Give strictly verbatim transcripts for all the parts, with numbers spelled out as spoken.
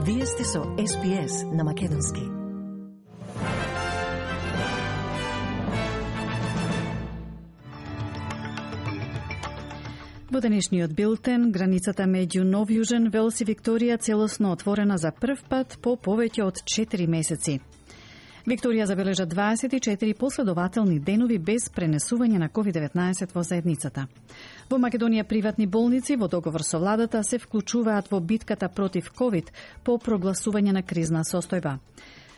Вие сте со Ес Би Ес на Македонски. Во денешниот билтен, границата меѓу Нов Јужен Велс и Викторија целосно отворена за прв пат по повеќе од четири месеци. Викторија забележа дваесет и четири последователни денови без пренесување на ковид деветнаесет во заедницата. Во Македонија приватни болници во договор со владата се вклучуваат во битката против ковид по прогласување на кризна состојба.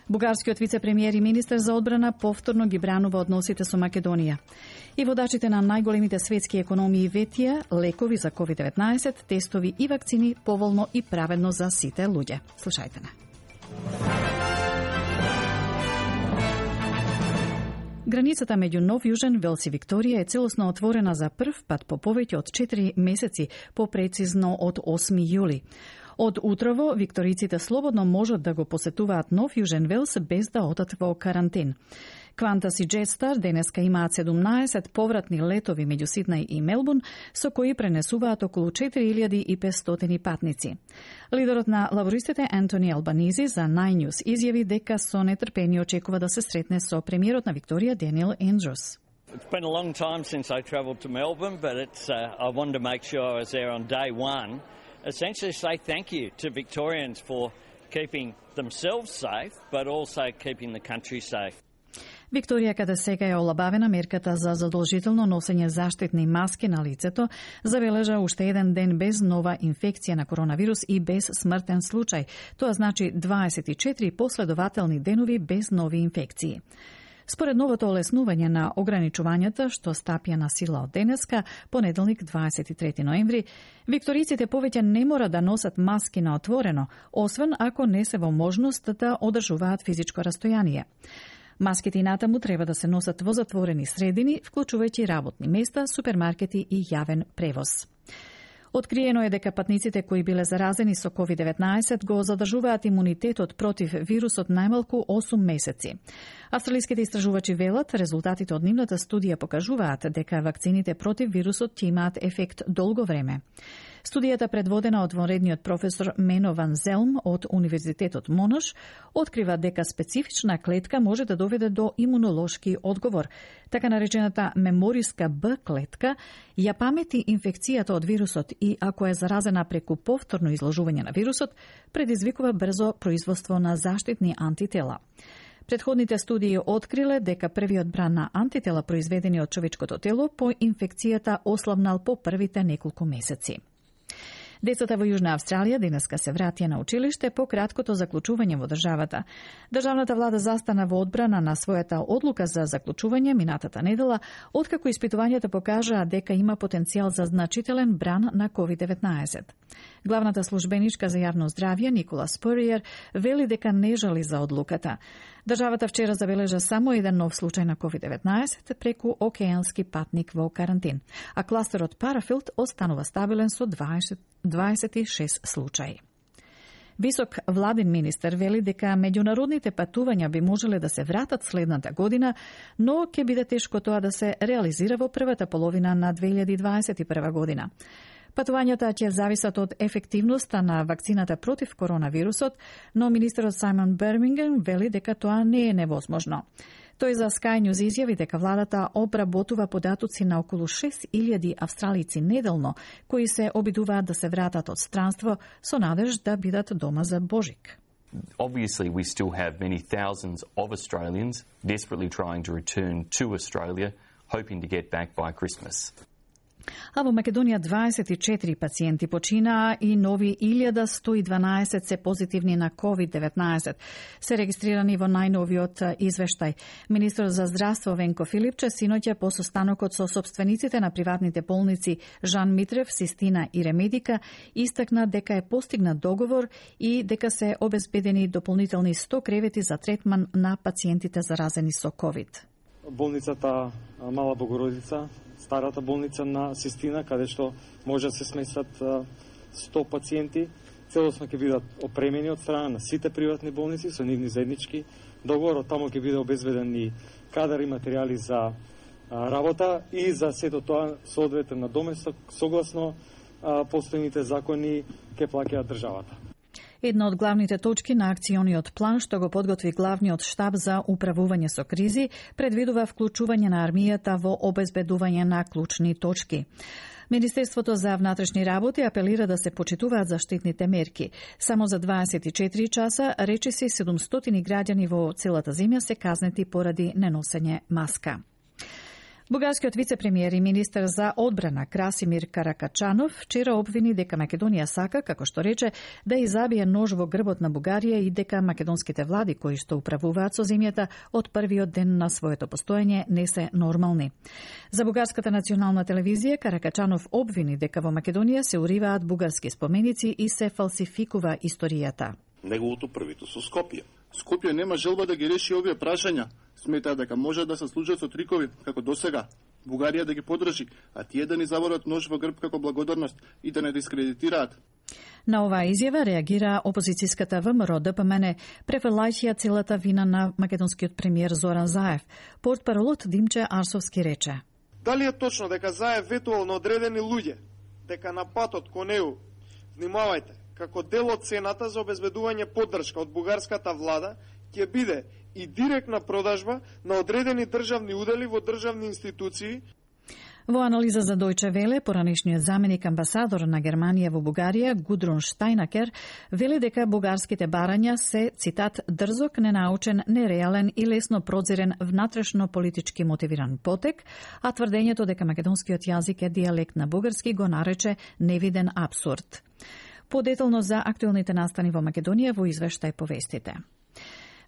Бугарскиот вице-премиер и министер за одбрана повторно ги бранува односите со Македонија. И водачите на најголемите светски економии ветија лекови за ковид деветнаесет, тестови и вакцини поволно и праведно за сите луѓе. Слушајте на. Границата меѓу Нов Јужен, Велс и Викторија е целосно отворена за прв пат по повеќе од четири месеци, попрецизно од осми јули. Од утрово, викториците слободно можат да го посетуваат Нов Јужен Велс без да одат во карантин. Qantas и Jetstar денеска имаат седумнаесет повратни летови меѓу Сиднеј и Мелбурн, со кои пренесуваат околу четири илјади и петстотини патници. Лидерот на лабористите Ентони Албанизи за Nine News изјави дека со нетрпение очекува да се сретне со премиерот на Викторија Даниел Ендрюс. It's been a long time since I travelled to Melbourne, but it's, uh, I wanted to make sure I was there on day one. Essentially say thank you to Victorians for keeping themselves safe, but also keeping the country safe. Викторија, каде сега е олабавена мерката за задолжително носење заштитни маски на лицето, забележа уште еден ден без нова инфекција на коронавирус и без смртен случај. Тоа значи дваесет и четири последователни денови без нови инфекции. Според новото олеснување на ограничувањата, што стапија на сила од денеска, понеделник дваесет и трети ноември, викториците повеќе не мора да носат маски на отворено, освен ако не се во можност да одржуваат физичко растојание. Маските и натаму треба да се носат во затворени средини, вклучувајќи работни места, супермаркети и јавен превоз. Откриено е дека патниците кои биле заразени со ковид деветнаесет го задржуваат имунитетот против вирусот најмалку осум месеци. Австралиските истражувачи велат, резултатите од нивната студија покажуваат дека вакцините против вирусот ќе имаат ефект долго време. Студијата, предводена од вонредниот професор Мено Ван Зелм од Универзитетот Монош, открива дека специфична клетка може да доведе до имунолошки одговор. Така наречената мемориска Б клетка ја памети инфекцијата од вирусот и ако е заразена преку повторно изложување на вирусот, предизвикува брзо производство на заштитни антитела. Предходните студии откриле дека првиот бран на антитела произведени од човечкото тело по инфекцијата ослабнал по првите неколку месеци. Децата во Јужна Австралија денеска се вратија на училиште по краткото заклучување во државата. Државната влада застана во одбрана на својата одлука за заклучување минатата недела, откако испитувањата покажаа дека има потенцијал за значителен бран на ковид деветнаесет. Главната службеничка за јавно здравје Никола Спуриер вели дека не жали за одлуката. Државата вчера забележа само еден нов случај на ковид деветнаесет преку океански патник во карантин, а кластерот Парафилд останува стабилен со дваесет и шест случаи. Висок владин министер вели дека меѓународните патувања би можеле да се вратат следната година, но ќе биде тешко тоа да се реализира во првата половина на две илјади дваесет и прва година. Патувањата ќе зависат од ефективноста на вакцината против коронавирусот, но министерот Сајмон Бермингем вели дека тоа не е невозможно. Тој за Sky News изјави дека владата обработува податоци на околу шест илјади австралици неделно, кои се обидуваат да се вратат од странство со надеж да бидат дома за Божик. Obviously, we still have many thousands of Australians desperately trying to return to Australia, hoping to get back by Christmas. А во Македонија дваесет и четири пациенти починаа и нови илјада сто и дванаесет се позитивни на ковид деветнаесет. Се регистрирани во најновиот извештај. Министерот за здравство Венко Филипче синоќа по состанокот со сопствениците на приватните болници Жан Митрев, Систина и Ремедика истакна дека е постигнат договор и дека се обезбедени дополнителни сто кревети за третман на пациентите заразени со ковид. Болницата Мала Богородица, старата болница на Систина, каде што може да се сместат сто пациенти, целосно ќе бидат опремени од страна на сите приватни болници со нивни заеднички договор. Таму ќе биде обезбеден и кадар и материјали за работа и за сето тоа соодветен надоместок согласно постојните закони ќе плаќаат државата. Една од главните точки на акциониот план што го подготви главниот штаб за управување со кризи предвидува вклучување на армијата во обезбедување на клучни точки. Министерството за внатрешни работи апелира да се почитуваат заштитните мерки. Само за дваесет и четири часа речиси седумстотини граѓани во целата земја се казнети поради неносење маска. Бугарскиот вице-премиер и министер за одбрана Красимир Каракачанов вчера обвини дека Македонија сака, како што рече, да изабие нож во грбот на Бугарија и дека македонските влади кои што управуваат со земјата од првиот ден на своето постоење не се нормални. За Бугарската национална телевизија Каракачанов обвини дека во Македонија се уриваат бугарски споменици и се фалсификува историјата. Неговото правителство Скопје. Скопје нема желба да ги реши овие прашања. Сметаа дека може да се служат со трикови, како досега. Бугарија да ги подржи, а тие да ни заборат нож во грб како благодарност и да не дискредитираат. На оваа изјава реагира опозицијската ВМРО ДПМН, префрлајќи целата вина на македонскиот премиер Зоран Заев. Портпаролот Димче Арсовски рече: Дали е точно дека Заев ветувал на одредени луѓе, дека на патот кон него, внимавајте, како дел од цената за обезбедување поддршка од бугарската влада, ќе биде и директна продажба на одредени државни удели во државни институции. Во анализа за Дојче Веле, поранешниот заменик амбасадор на Германија во Бугарија, Гудрун Штајнакер, вели дека бугарските барања се, цитат, дрзок, ненаучен, нереален и лесно прозирен внатрешно политички мотивиран потек, а тврдењето дека македонскиот јазик е дијалект на бугарски го нарече невиден апсурд. Подетално за актуелните настани во Македонија во извештај повестите.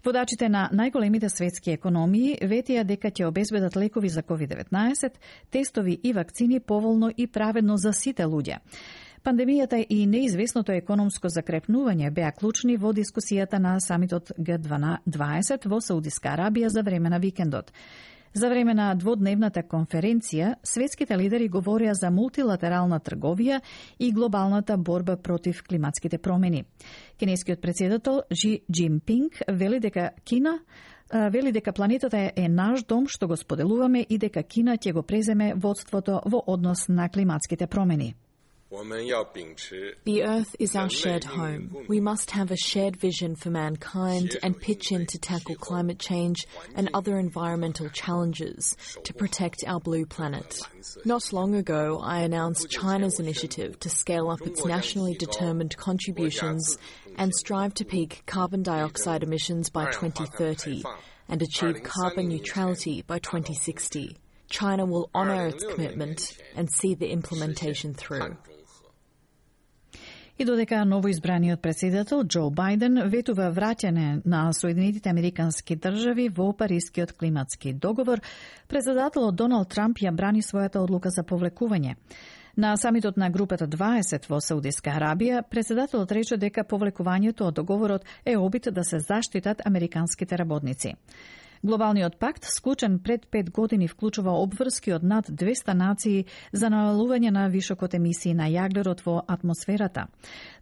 Водачите на најголемите светски економии ветија дека ќе обезбедат лекови за ковид деветнаесет, тестови и вакцини поволно и праведно за сите луѓе. Пандемијата и неизвестното економско закрепнување беа клучни во дискусијата на самитот Г дваесет во Саудиска Арабија за време на викендот. За време на дводневната конференција, светските лидери говорија за мултилатерална трговија и глобалната борба против климатските промени. Кинескиот председател Жи Џинпинг вели дека Кина вели дека планетата е наш дом што го споделуваме и дека Кина ќе го преземе водството во однос на климатските промени. The Earth is our shared home. We must have a shared vision for mankind and pitch in to tackle climate change and other environmental challenges to protect our blue planet. Not long ago, I announced China's initiative to scale up its nationally determined contributions and strive to peak carbon dioxide emissions by twenty thirty and achieve carbon neutrality by twenty sixty. China will honour its commitment and see the implementation through. И додека новоизбраниот председател Џо Бајден ветува враќање на Соединетите Американски држави во Парискиот климатски договор, председателот Доналд Трамп ја брани својата одлука за повлекување. На самитот на групата дваесет во Саудиска Арабија, председателот рече дека повлекувањето од договорот е обид да се заштитат американските работници. Глобалниот пакт, склучен пред пет години, вклучува обврски од над двесте нации за намалување на вишокот емисии на јаглерод во атмосферата.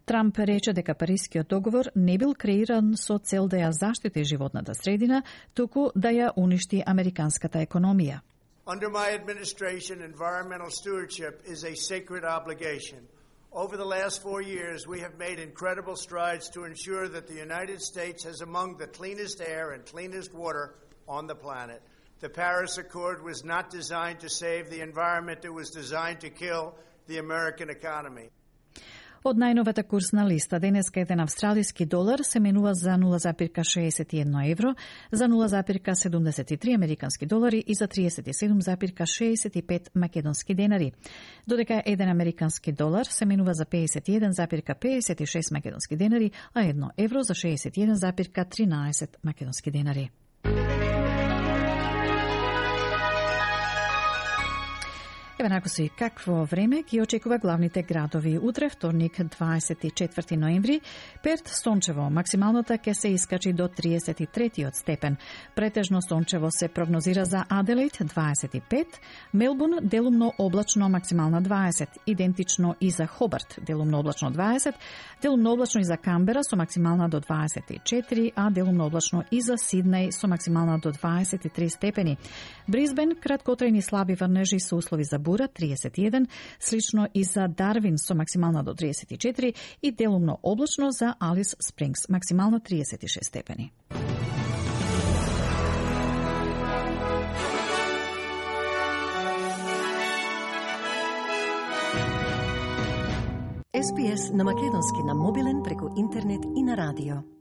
Трамп рече дека Парискиот договор не бил креиран со цел да ја заштити животната средина, туку да ја уништи американската економија. Under my administration, environmental stewardship is a sacred obligation. Over the last four years, we have made incredible strides to ensure that the United States has among the cleanest air and cleanest water on the planet. The Paris Accord was not designed to save the environment, it was designed to kill the American economy. Од најновата курсна листа, денеска еден австралиски долар се менува за нула запирка шеесет и едно евро, за нула запирка седумдесет и три американски долари и за триесет и седум запирка шеесет и пет македонски денари. Додека еден американски долар се менува за пеесет и еден запирка пеесет и шест македонски денари, а едно евро за шеесет и еден запирка тринаесет македонски денари. Еве накоси какво време ги очекува главните градови. Утре, вторник, дваесет и четврти ноември, Перт сончево, максималната ќе се искачи до триесет и трети степен. Претежно сончево се прогнозира за Аделаид дваесет и пет, Мелбурн делумно облачно, максимална дваесет, идентично и за Хобарт делумно облачно дваесет, делумно облачно и за Камбера со максимална до дваесет и четири, а делумно облачно и за Сиднеј со максимална до дваесет и три степени. Брисбен краткотрајни слаби врнежи со услови за температура триесет и еден, слично и за Дарвин со максимална до триесет и четири и делумно облачно за Алис Спрингс, максимално триесет и шест степени. Ес Би Ес на македонски на мобилен преку интернет и на радио.